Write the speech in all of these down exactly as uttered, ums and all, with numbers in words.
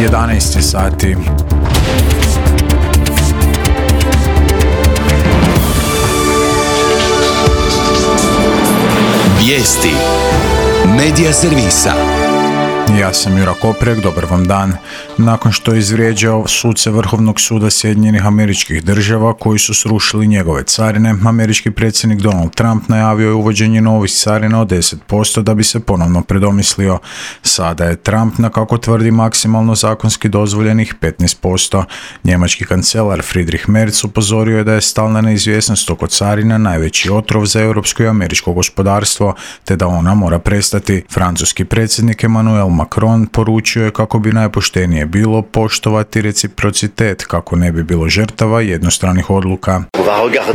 jedanaest sati. Vijesti Medija servisa. Ja sam Jura Koprek, dobar vam dan. Nakon što je izvrijeđao suce Vrhovnog suda Sjedinjenih Američkih Država koji su srušili njegove carine, američki predsjednik Donald Trump najavio je uvođenje novih carina od deset posto da bi se ponovno predomislio. Sada je Trump na, kako tvrdi, maksimalno zakonski dozvoljenih petnaest posto. Njemački kancelar Friedrich Merz upozorio je da je stalna neizvjesnost oko carina najveći otrov za europsko i američko gospodarstvo, te da ona mora prestati. Francuski predsjednik Emmanuel Macron poručio je kako bi najpoštenije bilo poštovati reciprocitet kako ne bi bilo žrtava jednostranih odluka.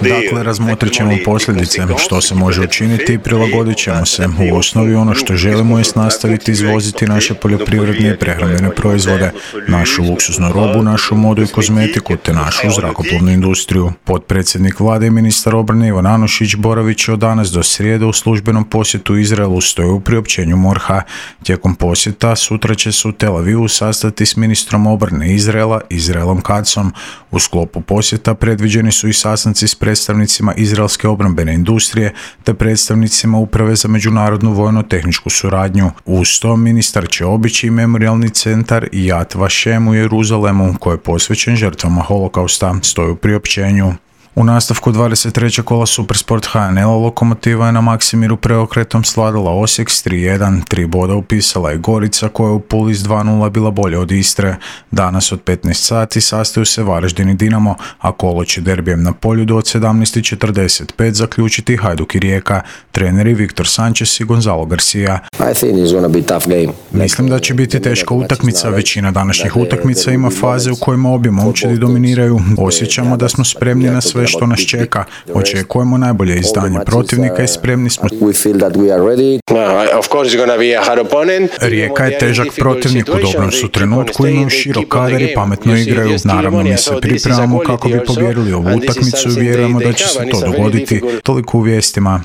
Dakle, razmotrit ćemo posljedice, što se može učiniti i prilagodit ćemo se. U osnovi ono što želimo je nastaviti izvoziti naše poljoprivredne i prehrambene proizvode, našu luksuznu robu, našu modu i kozmetiku te našu zrakoplovnu industriju. Potpredsjednik vlade i ministar obrane Ivan Anušić boravit će od danas do srijede u službenom posjetu Izraelu, stoji u priopćenju MORH-a. Tijekom posjeta sutra će se u Tel Avivu sastati s ministrom obrane Izraela, Izraelom Katzom. U sklopu posjeta predviđeni su i sastanci s predstavnicima izraelske obrambene industrije te predstavnicima Uprave za međunarodnu vojno-tehničku suradnju. Uz to ministar će obići memorijalni centar Yad Vashem u Jeruzalemu koji je posvećen žrtvama holokausta, stoji u priopćenju. U nastavku dvadeset trećeg kola Supersport H N L-a Lokomotiva je na Maksimiru preokretom svladala Osijek s tri jedan, tri boda upisala je Gorica koja je u Puli s dva nula bila bolja od Istre. Danas od petnaest sati sastaju se Varaždin i Dinamo, a kolo će derbijem na Poljudu od sedamnaest četrdeset pet zaključiti Hajduk i Rijeka, treneri Viktor Sanchez i Gonzalo Garcia. Mislim da će biti teška utakmica, većina današnjih utakmica ima faze u kojima obje momčadi dominiraju. Osjećamo da smo spremni na sve što nas čeka. Očekujemo najbolje izdanje protivnika i spremni smo. Rijeka je težak protivnik, u dobrom su trenutku, imaju širok kadar i pametno igraju. Naravno, mi se pripremamo kako bi pobijedili ovu utakmicu i vjerujemo da će se to dogoditi. Toliko u vijestima.